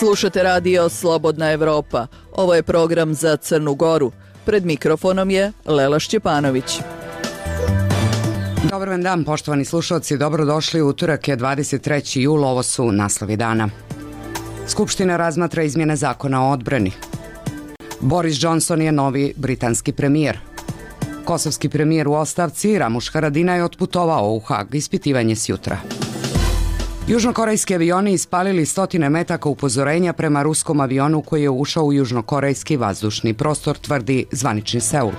Slušate radio Slobodna Evropa. Ovo je program za Crnu Goru. Pred mikrofonom je Lela Šćepanović. Dobar vam dan, poštovani slušalci. Dobrodošli. Utorak je 23. jul. Ovo su naslovi dana. Skupština razmatra izmjene zakona o odbrani. Boris Johnson je novi britanski premijer. Kosovski premijer u ostavci Ramuš Haradinaj otputovao u Hag. Ispitivanje s jutra. Južnokorejski avioni ispalili stotine metaka upozorenja prema ruskom avionu koji je ušao u južnokorejski vazdušni prostor, tvrdi zvanični Seul.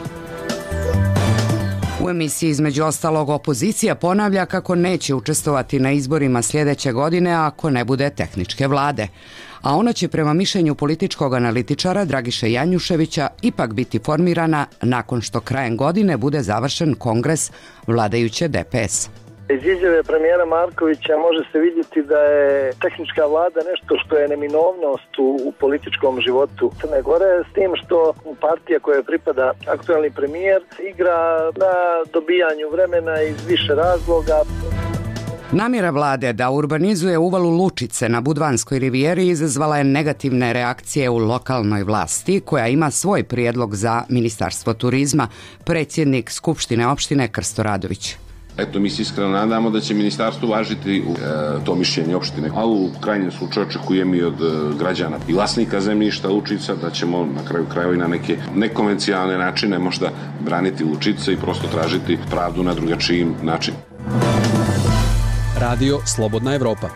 U emisiji između ostalog opozicija ponavlja kako neće učestvovati na izborima sljedeće godine ako ne bude tehničke vlade. A ona će prema mišljenju političkog analitičara Dragiše Janjuševića ipak biti formirana nakon što krajem godine bude završen kongres vladajuće DPS. Iz izjave premijera Markovića može se vidjeti da je tehnička vlada nešto što je neminovnost u političkom životu Crne Gore, s tim što partija koja pripada aktualni premijer igra na dobijanju vremena iz više razloga. Namjera vlade da urbanizuje uvalu Lučice na Budvanskoj rivijeri izazvala je negativne reakcije u lokalnoj vlasti, koja ima svoj prijedlog za Ministarstvo turizma, predsjednik Skupštine opštine Krsto Radović. Eto, mi se iskreno nadamo da će ministarstvo uvažiti to mišljenje opštine, a u krajnjem slučaju očekujem i od građana i vlasnika zemljišta Lučica da ćemo na kraju krajeva i na neke nekonvencionalne načine možda braniti Lučice i prosto tražiti pravdu na drugačijim način. Radio Slobodna Evropa.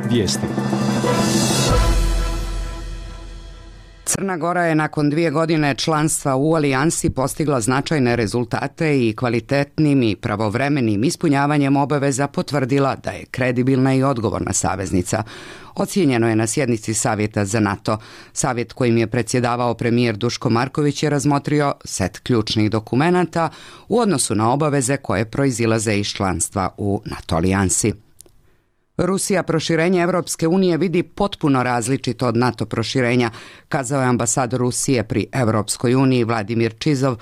Vijesti. Crna Gora je nakon 2 godine članstva u alijansi postigla značajne rezultate i kvalitetnim i pravovremenim ispunjavanjem obaveza potvrdila da je kredibilna i odgovorna saveznica. Ocijenjeno je na sjednici Savjeta za NATO. Savjet kojim je predsjedavao premijer Duško Marković je razmotrio set ključnih dokumenata u odnosu na obaveze koje proizilaze iz članstva u NATO alijansi. Rusija proširenje Evropske unije vidi potpuno različito od NATO proširenja, kazao je ambasador Rusije pri Evropskoj uniji Vladimir Čizov.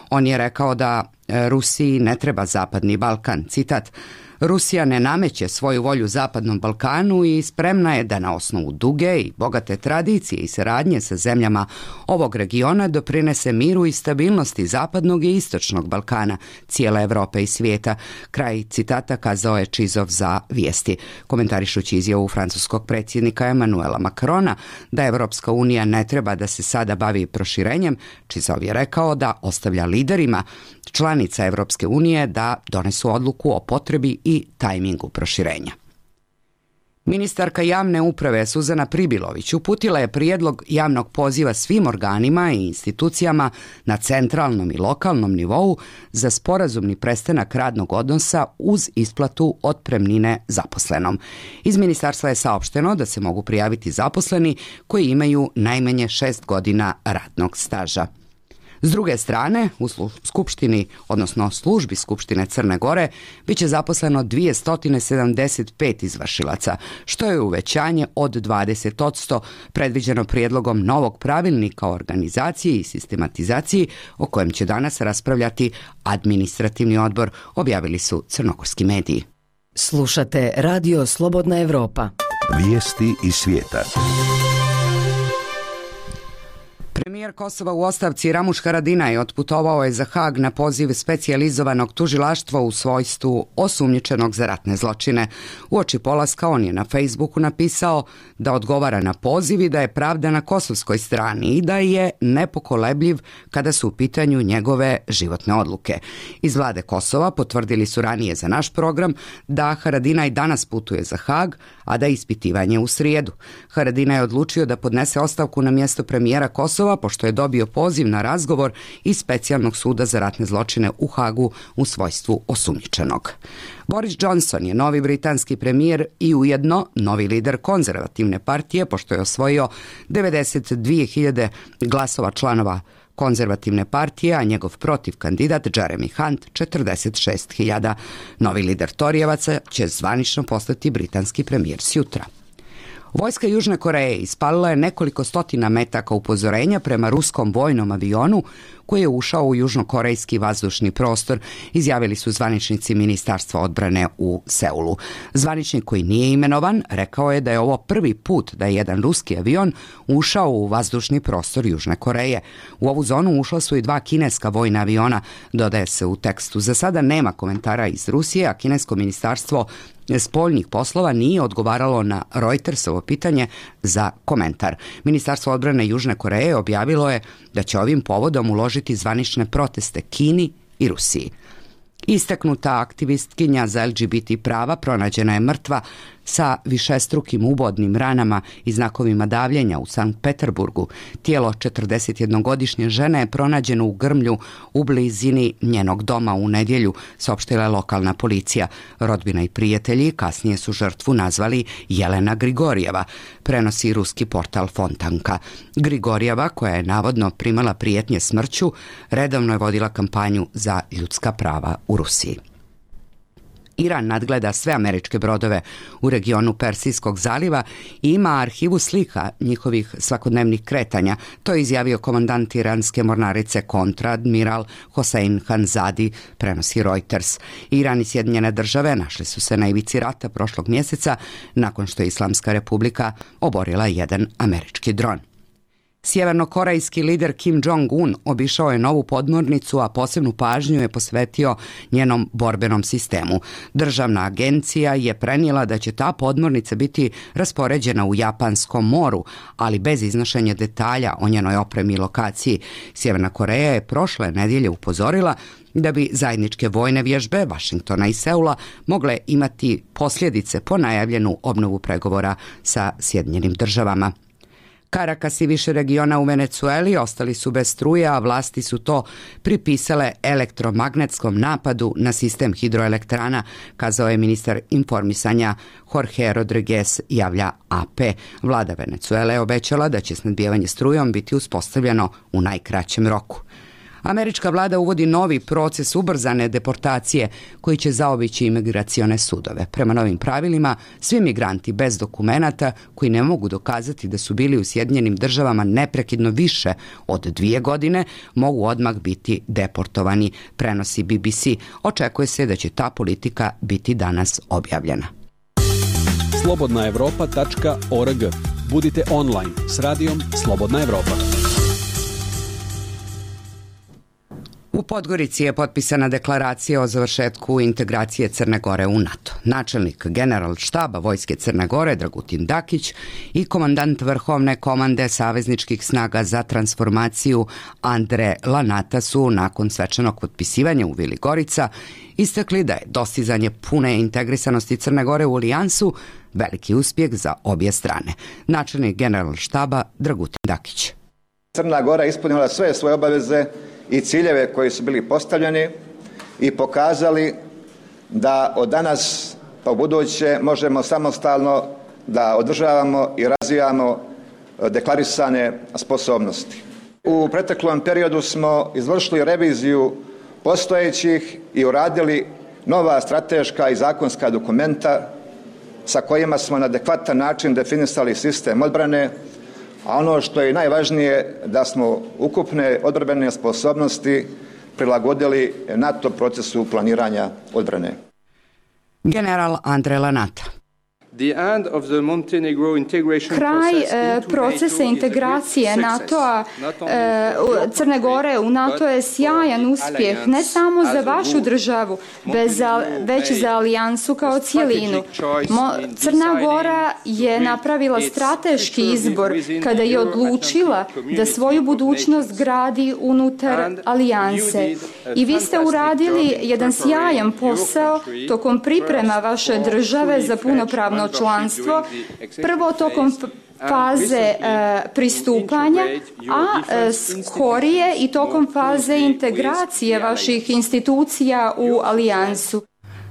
On je rekao da Rusiji ne treba Zapadni Balkan. Citat: Rusija ne nameće svoju volju Zapadnom Balkanu i spremna je da na osnovu duge i bogate tradicije i saradnje sa zemljama ovog regiona doprinese miru i stabilnosti Zapadnog i Istočnog Balkana, cijele Evrope i svijeta. Kraj citata kazao je Čizov za Vijesti. Komentarišući izjavu francuskog predsjednika Emanuela Macrona da Evropska unija ne treba da se sada bavi proširenjem, Čizov je rekao da ostavlja liderima članica Evropske unije da donesu odluku o potrebi i tajmingu proširenja. Ministarka javne uprave Suzana Pribilović uputila je prijedlog javnog poziva svim organima i institucijama na centralnom i lokalnom nivou za sporazumni prestanak radnog odnosa uz isplatu otpremnine zaposlenom. Iz ministarstva je saopšteno da se mogu prijaviti zaposleni koji imaju najmanje 6 godina radnog staža. S druge strane, u Skupštini, odnosno službi Skupštine Crne Gore, bit će zaposleno 275 izvršilaca, što je uvećanje od 20% predviđeno prijedlogom novog pravilnika o organizaciji i sistematizaciji o kojem će danas raspravljati administrativni odbor, objavili su crnogorski mediji. Slušate Radio Slobodna Evropa. Vijesti iz svijeta. Premijer Kosova u ostavci Ramuš Haradinaj otputovao je za Hag na poziv specijalizovanog tužilaštva u svojstvu osumnjičenog za ratne zločine. Uoči polaska on je na Facebooku napisao da odgovara na poziv i da je pravda na kosovskoj strani i da je nepokolebljiv kada su u pitanju njegove životne odluke. Iz vlade Kosova potvrdili su ranije za naš program da Haradinaj danas putuje za Hag, a da je ispitivanje u srijedu. Haradinaj je odlučio da podnese ostavku na mjesto premijera Kosova pošto je dobio poziv na razgovor iz Specijalnog suda za ratne zločine u Hagu u svojstvu osumnjičenog. Boris Johnson je novi britanski premijer i ujedno novi lider konzervativne partije pošto je osvojio 92.000 glasova članova konzervativne partije, a njegov protiv kandidat Jeremy Hunt 46.000. Novi lider Torijevaca će zvanično postati britanski premijer sjutra. Vojska Južne Koreje ispalila je nekoliko stotina metaka upozorenja prema ruskom vojnom avionu koji je ušao u južnokorejski vazdušni prostor, izjavili su zvaničnici Ministarstva odbrane u Seulu. Zvaničnik koji nije imenovan rekao je da je ovo prvi put da je jedan ruski avion ušao u vazdušni prostor Južne Koreje. U ovu zonu ušla su i 2 kineska vojna aviona, dodaje se u tekstu. Za sada nema komentara iz Rusije, a kinesko ministarstvo spoljnih poslova nije odgovaralo na Reutersovo pitanje za komentar. Ministarstvo odbrane Južne Koreje objavilo je da će ovim povodom uložiti zvanične proteste Kini i Rusiji. Istaknuta aktivistkinja za LGBT prava pronađena je mrtva sa višestrukim ubodnim ranama i znakovima davljenja u Sankt Peterburgu. Tijelo 41-godišnje žene je pronađeno u grmlju u blizini njenog doma u nedjelju, saopštila je lokalna policija. Rodbina i prijatelji kasnije su žrtvu nazvali Jelena Grigorijeva, prenosi ruski portal Fontanka. Grigorijeva, koja je navodno primala prijetnje smrću, redovno je vodila kampanju za ljudska prava u Rusiji. Iran nadgleda sve američke brodove u regionu Persijskog zaliva i ima arhivu slika njihovih svakodnevnih kretanja. To je izjavio komandant iranske mornarice kontraadmiral Hossein Hanzadi, prenosi Reuters. Iran i Sjedinjene države našli su se na ivici rata prošlog mjeseca nakon što je Islamska republika oborila jedan američki dron. Sjevernokorejski lider Kim Jong-un obišao je novu podmornicu, a posebnu pažnju je posvetio njenom borbenom sistemu. Državna agencija je prenijela da će ta podmornica biti raspoređena u Japanskom moru, ali bez iznošenja detalja o njenoj opremi i lokaciji. Sjeverna Koreja je prošle nedjelje upozorila da bi zajedničke vojne vježbe Vašingtona i Seula mogle imati posljedice po najavljenu obnovu pregovora sa Sjedinjenim državama. Caracas i više regiona u Venecueli ostali su bez struje, a vlasti su to pripisale elektromagnetskom napadu na sistem hidroelektrana, kazao je ministar informisanja Jorge Rodriguez, javlja AP. Vlada Venecuele je obećala da će snabdijevanje strujom biti uspostavljeno u najkraćem roku. Američka vlada uvodi novi proces ubrzane deportacije koji će zaobići imigracione sudove. Prema novim pravilima, svi migranti bez dokumenata koji ne mogu dokazati da su bili u Sjedinjenim državama neprekidno više od 2 godine mogu odmah biti deportovani, prenosi BBC. Očekuje se da će ta politika biti danas objavljena. slobodnaevropa.org. Budite online s radijom Slobodna Evropa. U Podgorici je potpisana deklaracija o završetku integracije Crne Gore u NATO. Načelnik Generalštaba Vojske Crne Gore Dragutin Dakić i komandant Vrhovne komande savezničkih snaga za transformaciju Andre Lanata su nakon svečanog potpisivanja u Vili Gorica istakli da je dostizanje pune integrisanosti Crne Gore u alijansu veliki uspjeh za obje strane. Načelnik Generalštaba Dragutin Dakić. Crna Gora ispunila sve svoje obaveze i ciljeve koji su bili postavljeni i pokazali da od danas pa u buduće možemo samostalno da održavamo i razvijamo deklarisane sposobnosti. U proteklom periodu smo izvršili reviziju postojećih i uradili nova strateška i zakonska dokumenta sa kojima smo na adekvatan način definisali sistem odbrane, a ono što je najvažnije da smo ukupne odbrambene sposobnosti prilagodili NATO procesu planiranja odbrane. General Andre Lanata. Kraj procesa integracije NATO-a, Crne Gore u NATO je sjajan uspjeh ne samo za vašu državu, već za alijansu kao cijelinu. Crna Gora je napravila strateški izbor kada je odlučila da svoju budućnost gradi unutar alijanse. I vi ste uradili jedan sjajan posao tokom priprema vaše države za punopravno članstvo, prvo tokom faze pristupanja, a skorije i tokom faze integracije vaših institucija u alijansu.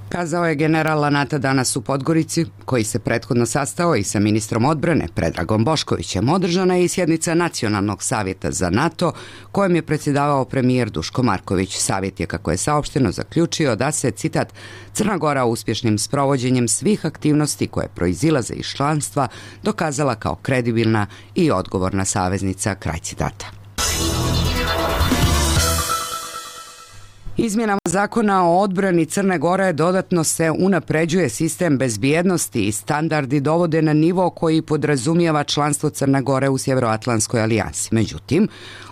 Kazao je general Lanata danas u Podgorici, koji se prethodno sastao i sa ministrom odbrane Predragom Boškovićem. Održana je i sjednica Nacionalnog savjeta za NATO, kojem je predsjedavao premijer Duško Marković. Savjet je, kako je saopšteno, zaključio da se, citat, Crna Gora uspješnim sprovođenjem svih aktivnosti koje proizilaze iz članstva dokazala kao kredibilna i odgovorna saveznica, kraj citata. Izmjenama zakona o odbrani Crne Gore dodatno se unapređuje sistem bezbjednosti i standardi dovode na nivo koji podrazumijeva članstvo Crne Gore u Sjevernoatlantskoj alijansi. Međutim,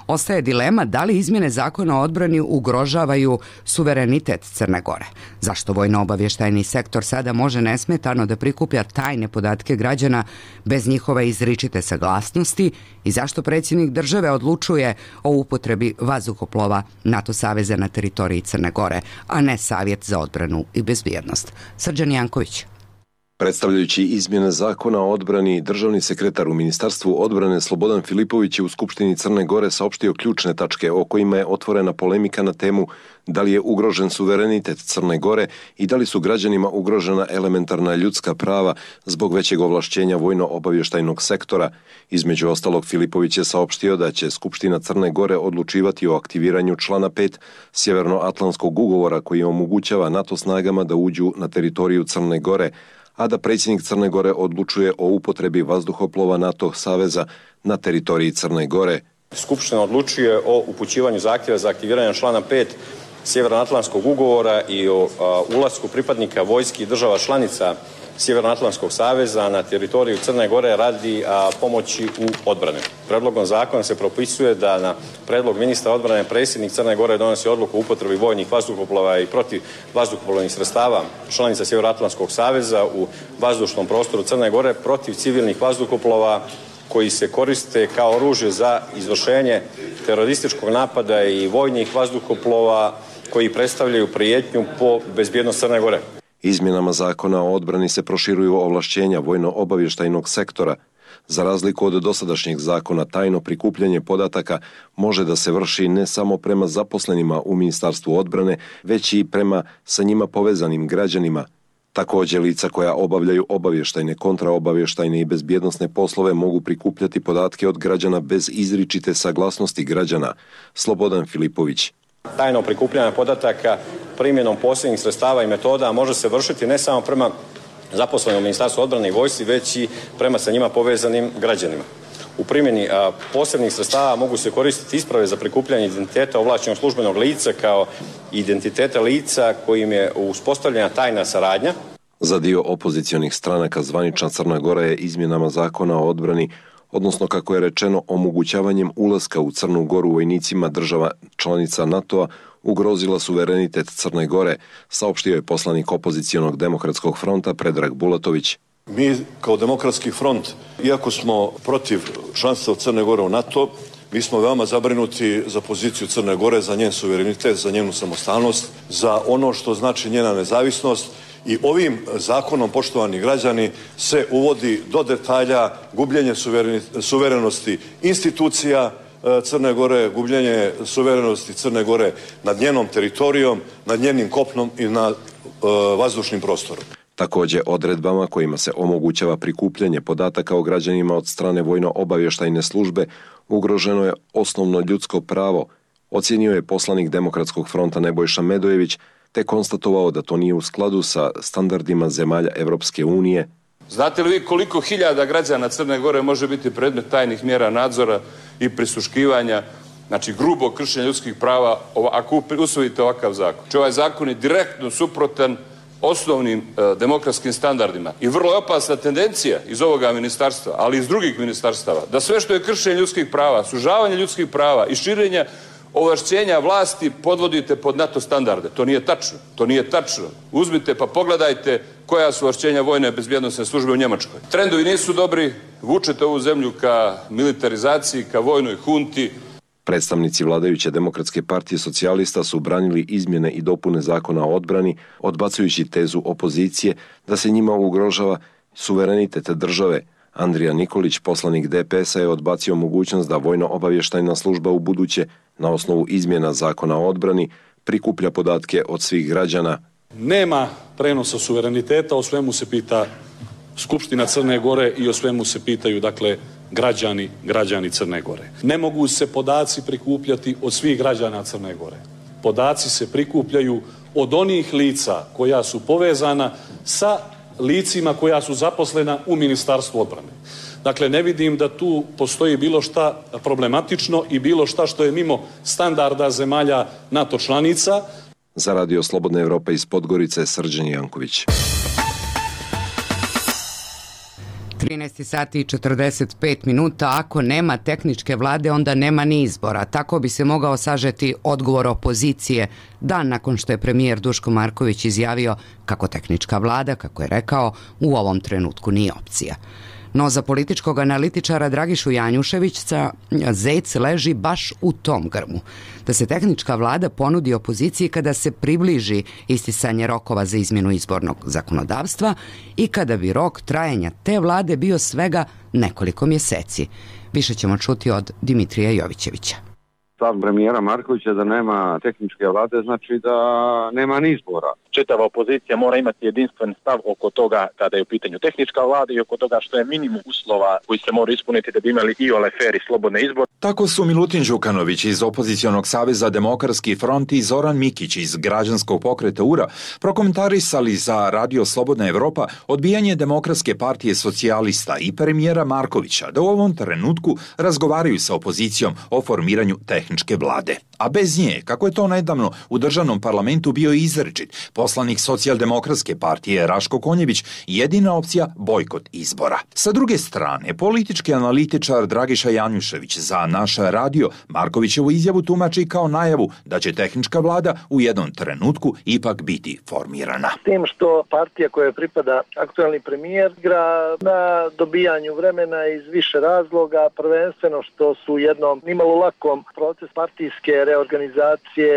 ostaje dilema da li izmjene zakona o odbrani ugrožavaju suverenitet Crne Gore. Zašto vojno-obavještajni sektor sada može nesmetano da prikuplja tajne podatke građana bez njihove izričite saglasnosti i zašto predsjednik države odlučuje o upotrebi vazduhoplova NATO saveza na teritoriji Crne Gore, a ne Savjet za odbranu i bezbjednost. Srđan Janković. Predstavljajući izmjene zakona o odbrani, državni sekretar u Ministarstvu odbrane Slobodan Filipović je u Skupštini Crne Gore saopštio ključne tačke o kojima je otvorena polemika na temu da li je ugrožen suverenitet Crne Gore i da li su građanima ugrožena elementarna ljudska prava zbog većeg ovlašćenja vojno-obavještajnog sektora. Između ostalog, Filipović je saopštio da će Skupština Crne Gore odlučivati o aktiviranju člana 5 Sjevernoatlantskog ugovora koji omogućava NATO snagama da uđu na teritoriju Crne Gore, a da predsjednik Crne Gore odlučuje o upotrebi vazduhoplova NATO saveza na teritoriji Crne Gore. Skupština odlučuje o upućivanju zahtjeva za aktiviranje člana 5 Sjevernoatlantskog ugovora i o ulasku pripadnika vojski i država članica Sjevernoatlantskog saveza na teritoriju Crne Gore radi pomoći u odbrani. Predlogom zakona se propisuje da na predlog ministra odbrane predsjednik Crne Gore donosi odluku o upotrebi vojnih vazduhoplova i protiv vazduhoplovnih sredstava članica Sjevernoatlantskog saveza u vazdušnom prostoru Crne Gore protiv civilnih vazduhoplova koji se koriste kao oružje za izvršenje terorističkog napada i vojnih vazduhoplova koji predstavljaju prijetnju po bezbjednost Crne Gore. Izmjenama zakona o odbrani se proširuju ovlašćenja vojno-obavještajnog sektora. Za razliku od dosadašnjeg zakona, tajno prikupljanje podataka može da se vrši ne samo prema zaposlenima u Ministarstvu odbrane, već i prema sa njima povezanim građanima. Također, lica koja obavljaju obavještajne, kontraobavještajne i bezbjednosne poslove mogu prikupljati podatke od građana bez izričite saglasnosti građana. Slobodan Filipović. Tajno prikupljanje podataka primjenom posebnih sredstava i metoda može se vršiti ne samo prema zaposlenim u Ministarstvu odbrane i vojsci, već i prema sa njima povezanim građanima. U primjeni posebnih sredstava mogu se koristiti isprave za prikupljanje identiteta ovlašćenog službenog lica kao identiteta lica kojim je uspostavljena tajna saradnja. Za dio opozicionih stranaka zvanična Crna Gora je izmjenama zakona o odbrani, odnosno kako je rečeno omogućavanjem ulaska u Crnu Goru vojnicima država članica NATO-a, ugrozila suverenitet Crne Gore, saopštio je poslanik opozicionog demokratskog fronta Predrag Bulatović. Mi kao demokratski front, iako smo protiv članstva Crne Gore u NATO, mi smo veoma zabrinuti za poziciju Crne Gore, za njen suverenitet, za njenu samostalnost, za ono što znači njena nezavisnost. I ovim zakonom, poštovani građani, se uvodi do detalja gubljenje suverenosti institucija Crne Gore, gubljenje suverenosti Crne Gore nad njenom teritorijom, nad njenim kopnom i nad vazdušnim prostorom. Također, odredbama kojima se omogućava prikupljanje podataka o građanima od strane vojno-obavještajne službe ugroženo je osnovno ljudsko pravo, ocijenio je poslanik Demokratskog fronta Nebojša Medojević, te konstatovao da to nije u skladu sa standardima zemalja Evropske unije. Znate li vi koliko hiljada građana Crne Gore može biti predmet tajnih mjera nadzora i prisluškivanja, znači grubo kršenje ljudskih prava ako usvojite ovakav zakon? Znači, ovaj zakon je direktno suprotan osnovnim demokratskim standardima i vrlo je opasna tendencija iz ovoga ministarstva, ali i iz drugih ministarstava, da sve što je kršenje ljudskih prava, sužavanje ljudskih prava i širenja ovlašćenja vlasti podvodite pod NATO standarde. To nije tačno. To nije tačno. Uzmite pa pogledajte koja su ovlašćenja vojne bezbjednosne službe u Njemačkoj. Trendovi nisu dobri, vučete ovu zemlju ka militarizaciji, ka vojnoj hunti. Predstavnici vladajuće Demokratske partije socijalista su branili izmjene i dopune zakona o odbrani, odbacujući tezu opozicije da se njima ugrožava suverenitet države. Andrija Nikolić, poslanik DPS-a, je odbacio mogućnost da vojno-obavještajna služba u buduće, na osnovu izmjena zakona o odbrani, prikuplja podatke od svih građana. Nema prenosa suvereniteta, o svemu se pita Skupština Crne Gore i o svemu se pitaju, dakle, građani Crne Gore. Ne mogu se podaci prikupljati od svih građana Crne Gore. Podaci se prikupljaju od onih lica koja su povezana sa licima koja su zaposlena u Ministarstvu odbrane. Dakle, ne vidim da tu postoji bilo šta problematično i bilo šta što je mimo standarda zemalja NATO članica. Za Radio Slobodna Evropa iz Podgorice, Srđan Janković. 13 sati i 45 minuta. Ako nema tehničke vlade, onda nema ni izbora. Tako bi se mogao sažeti odgovor opozicije dan nakon što je premijer Duško Marković izjavio kako tehnička vlada, kako je rekao, u ovom trenutku nije opcija. No za političkog analitičara Dragišu Janjuševića zec leži baš u tom grmu. Da se tehnička vlada ponudi opoziciji kada se približi isticanje rokova za izmjenu izbornog zakonodavstva i kada bi rok trajanja te vlade bio svega nekoliko mjeseci. Više ćemo čuti od Dimitrija Jovićevića. Stav premijera Markovića da nema tehničke vlade znači da nema ni izbora. Čitava opozicija mora imati jedinstven stav oko toga kada je u pitanju tehnička vlada i oko toga što je minimum uslova koji se mora ispuniti da bi imali i fer i slobodne izbore. Tako su Milutin Đukanović iz Opozicionog saveza Demokratski front i Zoran Mikić iz Građanskog pokreta URA prokomentarisali za Radio Slobodna Evropa odbijanje Demokratske partije socijalista i premijera Markovića da u ovom trenutku razgovaraju sa opozicijom o formiranju tehničke vlade. A bez nje, kako je to nedavno u državnom parlamentu bio izričit poslanik Socijaldemokratske partije Raško Konjević, jedina opcija bojkot izbora. Sa druge strane, politički analitičar Dragiša Janjušević za naš radio Markovićevu izjavu tumači kao najavu da će tehnička vlada u jednom trenutku ipak biti formirana. S tim što partija koja pripada aktualni premijer igra na dobijanju vremena iz više razloga, prvenstveno što su u jednom nimalo lakom proces partijske reorganizacije,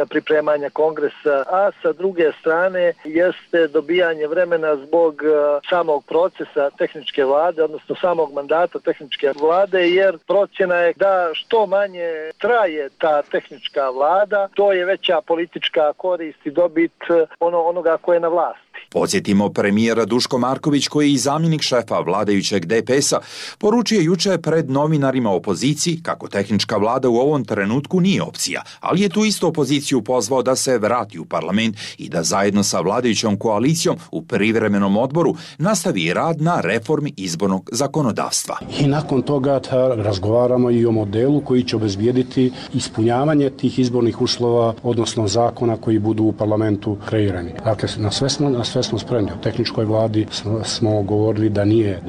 pripremanja kongresa, a sa druge strane jeste dobijanje vremena zbog samog procesa tehničke vlade, odnosno samog mandata tehničke vlade, jer procjena je da što manje traje ta tehnička vlada, to je veća politička korist i dobit onoga ko je na vlasti. Podsjetimo, premijera Duško Marković, koji je i zamjenik šefa vladajućeg DPS-a, poručio juče pred novinarima opoziciji kako tehnička vlada u ovom trenutku nije opcija, ali je tu isto opoziciju pozvao da se vrati u parlament i da zajedno sa vladajućom koalicijom u privremenom odboru nastavi rad na reformi izbornog zakonodavstva. I nakon toga razgovaramo i o modelu koji će obezbijediti ispunjavanje tih izbornih uslova, odnosno zakona koji budu u parlamentu kreirani. Dakle, na sve smo spremni. O tehničkoj vladi smo govorili da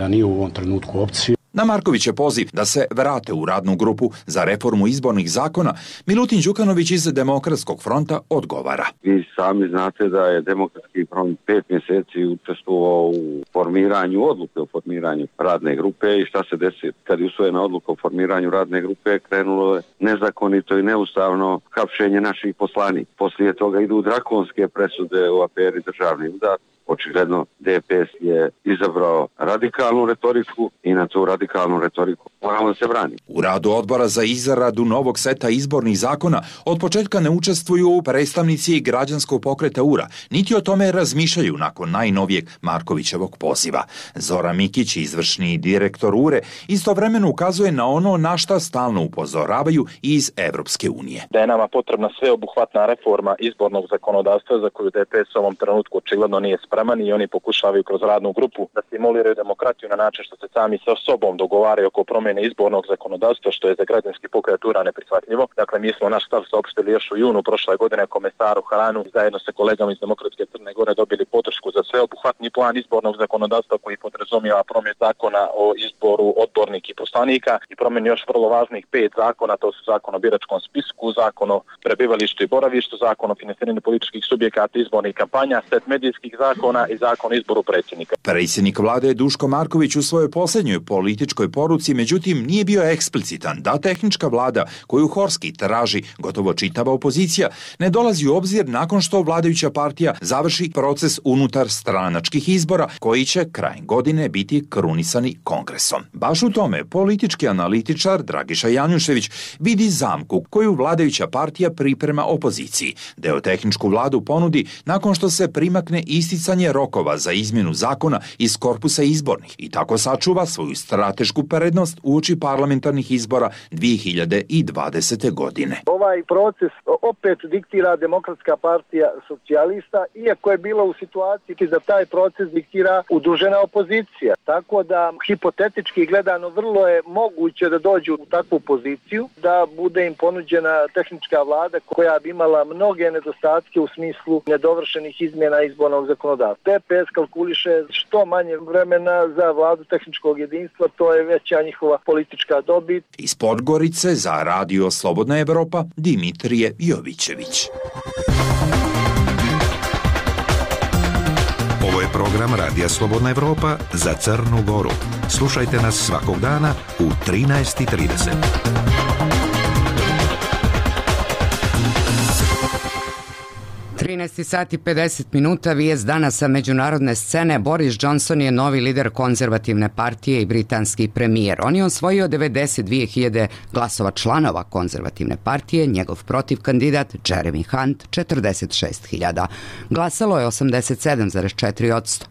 nije u ovom trenutku opcija. Na Markovićev poziv da se vrate u radnu grupu za reformu izbornih zakona, Milutin Đukanović iz Demokratskog fronta odgovara. Vi sami znate da je Demokratski front 5 mjeseci učestvovao u formiranju odluke o formiranju radne grupe i šta se desi kad je usvojena odluka o formiranju radne grupe, krenulo je nezakonito i neustavno hapšenje naših poslanika. Poslije toga idu drakonske presude u aferi Državni udar. Očigledno DPS je izabrao radikalnu retoriku i na tu radikalnu retoriku moramo se braniti. U radu odbora za izradu novog seta izbornih zakona od početka ne učestvuju predstavnici Građanskog pokreta URA, niti o tome razmišljaju nakon najnovijeg Markovićevog poziva. Zoran Mikić, izvršni direktor URE, istovremeno ukazuje na ono na šta stalno upozoravaju iz Evropske unije. Da je nama potrebna sveobuhvatna reforma izbornog zakonodavstva za koju DPS u ovom trenutku očigledno nije spreman i oni pokušavaju kroz radnu grupu da stimuliraju demokratiju na način što se sami sa sobom dogovaraju oko promjene izbornog zakonodavstva, što je za Građanski pokret URA neprihvatljivo. Dakle, mi smo naš stav saopštili još u junu prošle godine komesaru Haranu i zajedno sa kolegama iz Demokratske Crne Gore dobili podršku za sveobuhvatni plan izbornog zakonodavstva koji podrazumijeva promjenu zakona o izboru odbornika i poslanika i promjenu još vrlo važnih 5 zakona, to su zakon o biračkom spisku, zakon o prebivalištu i boravištu, zakon o finansiranju političkih subjekata izbornih kampanja, set medijskih zakona zakona i zakon o izboru predsjednika. Predsjednik vlade Duško Marković u svojoj posljednjoj političkoj poruci međutim nije bio eksplicitan da tehnička vlada koju Horski traži gotovo čitava opozicija ne dolazi u obzir nakon što vladajuća partija završi proces unutar stranačkih izbora koji će krajem godine biti krunisani kongresom. Baš u tome politički analitičar Dragiša Janjušević vidi zamku koju vladajuća partija priprema opoziciji, da joj tehničku vladu ponudi nakon što se primakne isticanje rokova za izmjenu zakona iz korpusa izbornih i tako sačuva svoju stratešku prednost uoči parlamentarnih izbora 2020. godine. Ovaj proces opet diktira Demokratska partija socijalista, iako je bila u situaciji da taj proces diktira udružena opozicija. Tako da hipotetički gledano vrlo je moguće da dođu u takvu poziciju, da bude im ponuđena tehnička vlada koja bi imala mnoge nedostatke u smislu nedovršenih izmjena izbornog zakonodavstva. TPS kalkuliše što manje vremena za vladu tehničkog jedinstva, to je veća njihova politička dobit. Iz Podgorice za Radio Slobodna Evropa Dimitrije Jovićević. Ovo je program Radija Slobodna Evropa za Crnu Goru. Slušajte nas svakog dana u 13:30. 13 sati i 50 minuta, vijest danas sa međunarodne scene. Boris Johnson je novi lider konzervativne partije i britanski premijer. On je osvojio 92.000 glasova članova konzervativne partije, njegov protiv kandidat Jeremy Hunt 46.000. Glasalo je 87,4%.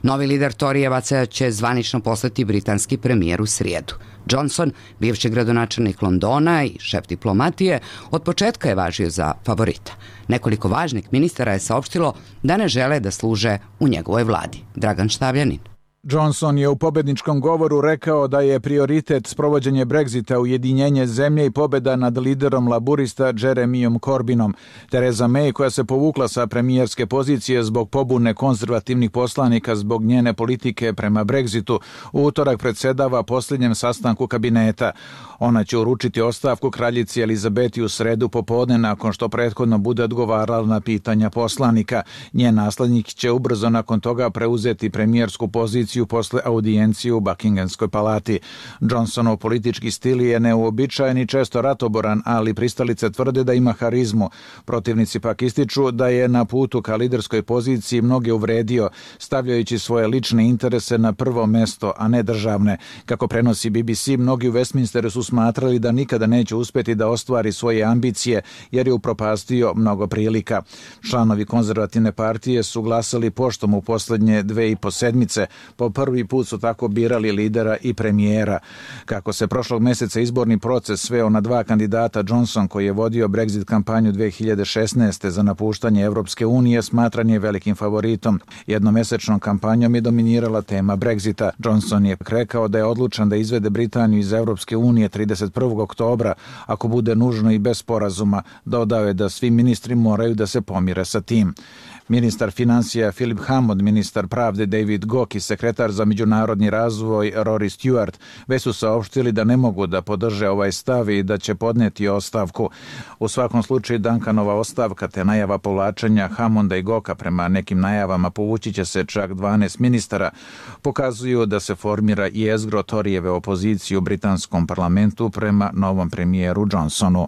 Novi lider Torijevaca će zvanično postati britanski premijer u srijedu. Johnson, bivši gradonačelnik Londona i šef diplomatije, od početka je važio za favorita. Nekoliko važnih ministara je saopštilo da ne žele da služe u njegovoj vladi. Dragan Štavljanin. Johnson je u pobedničkom govoru rekao da je prioritet sprovođenje Brexita, ujedinjenje zemlje i pobjeda nad liderom laburista Jeremyom Corbynom. Theresa May, koja se povukla sa premijerske pozicije zbog pobune konzervativnih poslanika zbog njene politike prema Brexitu, u utorak predsjedava posljednjem sastanku kabineta. Ona će uručiti ostavku kraljici Elizabeti u sredu popodne nakon što prethodno bude odgovarala na pitanja poslanika. Njen naslednik će ubrzo nakon toga preuzeti premijersku poziciju posle audijencije u Buckinghamskoj palati. Johnsonov politički stil je neuobičajen i često ratoboran, ali pristalice tvrde da ima harizmu. Protivnici pak ističu da je na putu ka liderskoj poziciji mnoge uvredio, stavljajući svoje lične interese na prvo mesto, a ne državne. Kako prenosi BBC, mnogi u Westminsteru su smatrali da nikada neće uspjeti da ostvari svoje ambicije, jer je upropastio mnogo prilika. Članovi konzervativne partije su glasali poštom u posljednje 2,5 sedmice. Po prvi put su tako birali lidera i premijera. Kako se prošlog mjeseca izborni proces sveo na dva kandidata, Johnson, koji je vodio Brexit kampanju 2016. za napuštanje Evropske unije, smatran je velikim favoritom. Jednomjesečnom kampanjom je dominirala tema Brexita. Johnson je rekao da je odlučan da izvede Britaniju iz Evropske unije 31. oktobra, ako bude nužno i bez sporazuma. Dodao je da svi ministri moraju da se pomire sa tim. Ministar financija Philip Hammond, ministar pravde David Gauke i sekretar za međunarodni razvoj Rory Stewart već su saopštili da ne mogu da podrže ovaj stav i da će podneti ostavku. U svakom slučaju Duncanova ostavka te najava povlačenja Hammonda i Gauka, prema nekim najavama povući će se čak 12 ministara, pokazuju da se formira jezgro Torijeve opozicije u britanskom parlamentu prema novom premijeru Johnsonu.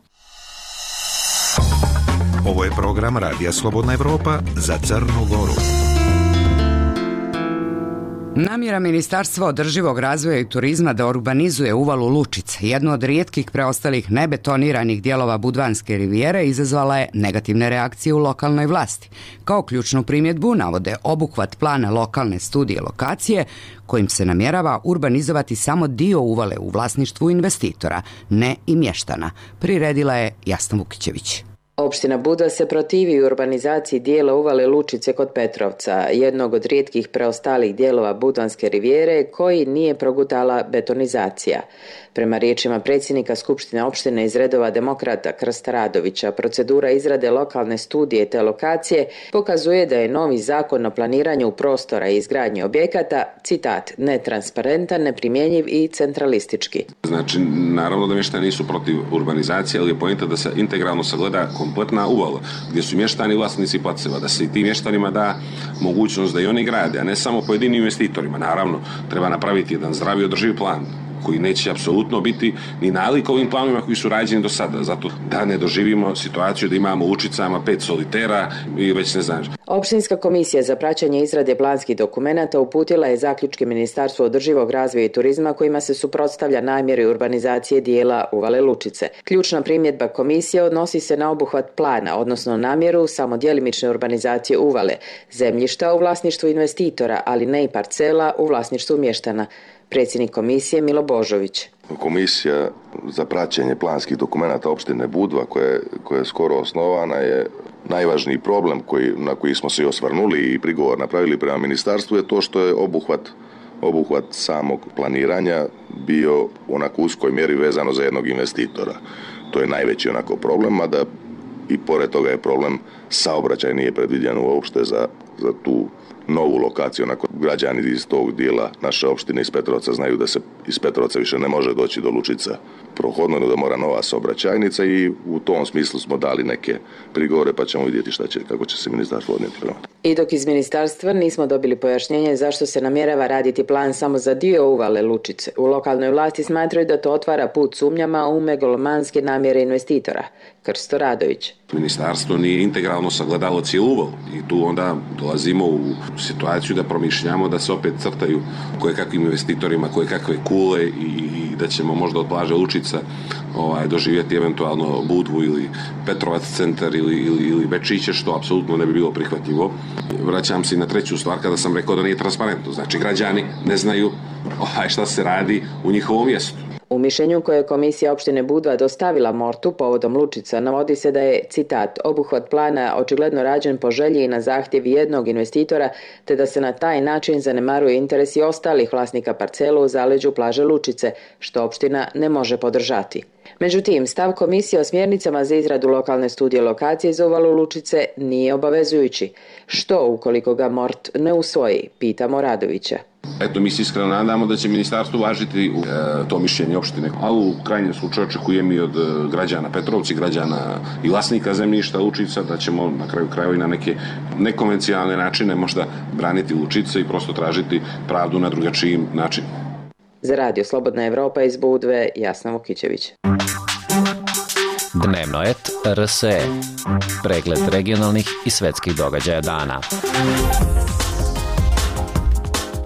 Ovo je program Radija Slobodna Evropa za Crnu Goru. Namjera Ministarstva održivog razvoja i turizma da urbanizuje uvalu Lučice, jednu od rijetkih preostalih nebetoniranih dijelova Budvanske rivijere, izazvala je negativne reakcije u lokalnoj vlasti. Kao ključnu primjedbu navode obuhvat plana lokalne studije lokacije, kojim se namjerava urbanizovati samo dio uvale u vlasništvu investitora, ne i mještana. Priredila je Jasna Vukićević. Opština Budva se protivi urbanizaciji dijela uvale Lučice kod Petrovca, jednog od rijetkih preostalih dijelova Budvanske rivijere koji nije progutala betonizacija. Prema riječima predsjednika Skupštine opštine iz redova demokrata Krsta Radovića, procedura izrade lokalne studije te lokacije pokazuje da je novi zakon o planiranju prostora i izgradnji objekata, citat, netransparentan, neprimjenjiv i centralistički. Znači, naravno da mještani nisu protiv urbanizacije, ali je poenta da se integralno sagleda kompletna uvala, gdje su mještani vlasnici placeva, da se i tim mještanima da mogućnost da i oni grade, a ne samo pojedinim investitorima. Naravno, treba napraviti jedan zdravi održivi plan koji neće apsolutno biti ni nalik ovim planovima koji su rađeni do sada, zato da ne doživimo situaciju da imamo u Lučicama 5 solitera i već ne znam. Opštinska komisija za praćenje izrade planskih dokumenata uputila je zaključke Ministarstvu održivog razvoja i turizma kojima se suprotstavlja namjeri urbanizacije dijela uvale Lučice. Ključna primjedba komisije odnosi se na obuhvat plana, odnosno namjeru samo djelimične urbanizacije uvale, zemljišta u vlasništvu investitora, ali ne i parcela u vlasništvu mještana. Predsjednik komisije Milo Božović. Komisija za praćenje planskih dokumenata opštine Budva, koja je skoro osnovana, je najvažniji problem na koji smo se osvrnuli i prigovor napravili prema ministarstvu je to što je obuhvat samog planiranja bio u onako uskoj mjeri vezano za jednog investitora. To je najveći onako problem, mada i pored toga je problem saobraćaj nije predviđen uopšte za tu novu lokaciju. Onako, građani iz tog dijela naše opštine iz Petrovca znaju da se iz Petrovca više ne može doći do Lučica prohodno, da mora nova saobraćajnica i u tom smislu smo dali neke prigovore pa ćemo vidjeti kako će se ministarstvo odnijeti prema. I dok iz ministarstva nismo dobili pojašnjenje zašto se namjerava raditi plan samo za dio uvale Lučice, u lokalnoj vlasti smatraju da to otvara put sumnjama u megalomanske namjere investitora. Krsto Radović. Ministarstvo nije integralno sagledalo cijelu uvalu i tu onda dolazimo u situaciju da promišljamo da se opet crtaju kojekakvim investitorima, kojekakve kule i da ćemo možda od plaže Lučica doživjeti eventualno Budvu ili Petrovac centar ili Bečiće, što apsolutno ne bi bilo prihvatljivo. Vraćam se i na treću stvar kada sam rekao da nije transparentno. Znači, građani ne znaju šta se radi u njihovom mjestu. U mišljenju koje je komisija opštine Budva dostavila Mortu povodom Lučica navodi se da je, citat, obuhvat plana očigledno rađen po želji i na zahtjev jednog investitora, te da se na taj način zanemaruju interesi ostalih vlasnika parcela u zaleđu plaže Lučice, što opština ne može podržati. Međutim, stav komisije o smjernicama za izradu lokalne studije lokacije za uvalu Lučice nije obavezujući. Što ukoliko ga Mort ne usvoji, pitamo Radovića. Eto, mi se iskreno nadamo da će ministarstvo uvažiti to mišljenje opštine, a u krajnjem slučaju očekujem i od građana Petrovci, građana i vlasnika zemljišta Lučica, da ćemo na kraju krajeva i na neke nekonvencionalne načine možda braniti Lučice i prosto tražiti pravdu na drugačiji način. Za Radio Slobodna Evropa iz Budve, Jasna Vukićević. Dnevno et RSE. Pregled regionalnih i svetskih događaja dana.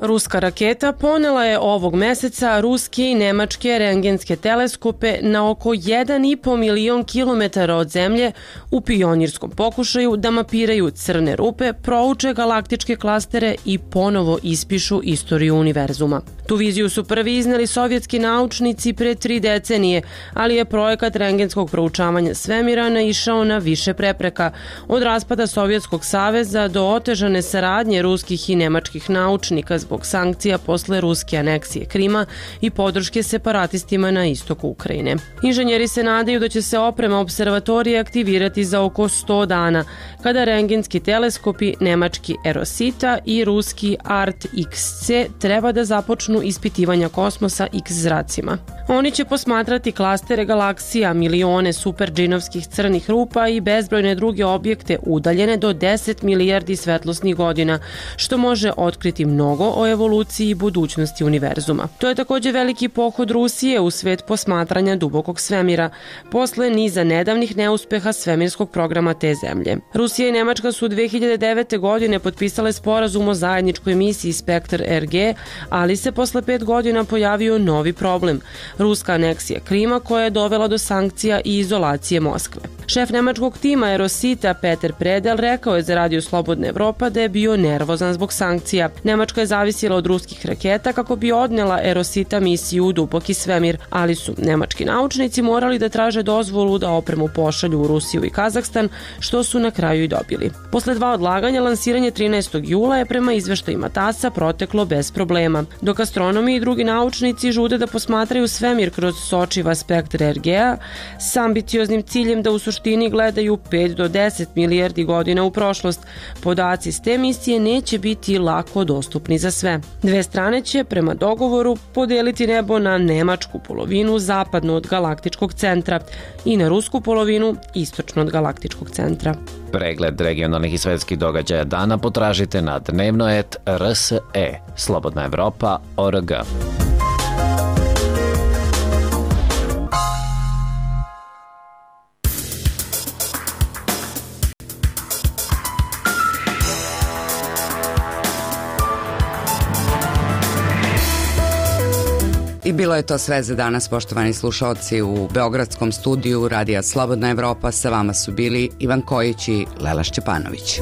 Ruska raketa ponela je ovog meseca ruske i nemačke rentgenske teleskope na oko 1,5 milion kilometara od zemlje u pionirskom pokušaju da mapiraju crne rupe, prouče galaktičke klastere i ponovo ispišu istoriju univerzuma. Tu viziju su prvi izneli sovjetski naučnici pre 3 decenije, ali je projekat rentgenskog proučavanja svemira naišao na više prepreka, od raspada Sovjetskog saveza do otežane saradnje ruskih i nemačkih naučnika zbog sankcija posle ruske aneksije Krima i podrške separatistima na istoku Ukrajine. Inženjeri se nadaju da će se oprema observatorije aktivirati za oko 100 dana, kada rentgenski teleskopi nemački Erosita i ruski ART-XC treba da započnu ispitivanja kosmosa X zracima. Oni će posmatrati klastere galaksija, milione superdžinovskih crnih rupa i bezbrojne druge objekte udaljene do 10 milijardi svetlosnih godina, što može otkriti mnogo o evoluciji i budućnosti univerzuma. To je također veliki pohod Rusije u svet posmatranja dubokog svemira, posle niza nedavnih neuspeha svemirskog programa te zemlje. Rusija i Nemačka su 2009. godine potpisale sporazum o zajedničkoj misiji Spektr RG, ali se posle 5 godina pojavio novi problem – ruska aneksija Krima koja je dovela do sankcija i izolacije Moskve. Šef nemačkog tima Erosita Peter Predel rekao je za Radio Slobodna Evropa da je bio nervozan zbog sankcija. Nemačka je zavisna zavisila od ruskih raketa kako bi odnela Erosita misiju u duboki svemir, ali su nemački naučnici morali da traže dozvolu da opremu pošalju u Rusiju i Kazahstan, što su na kraju i dobili. Posle 2 odlaganja, lansiranje 13. jula je prema izveštajima TASS-a proteklo bez problema. Dok astronomi i drugi naučnici žude da posmatraju svemir kroz sočiv aspekt RGA s ambicioznim ciljem da u suštini gledaju 5 do 10 milijardi godina u prošlost, podaci s te misije neće biti lako dostupni za sve. Dve strane će, prema dogovoru, podeliti nebo na nemačku polovinu zapadno od galaktičkog centra i na rusku polovinu istočno od galaktičkog centra. Pregled regionalnih i svetskih događaja dana potražite na dnevno.rs.e, Slobodna Evropa.org. I bilo je to sve za danas, poštovani slušalci. U beogradskom studiju Radija Slobodna Evropa sa vama su bili Ivan Kojić i Lela Šćepanović.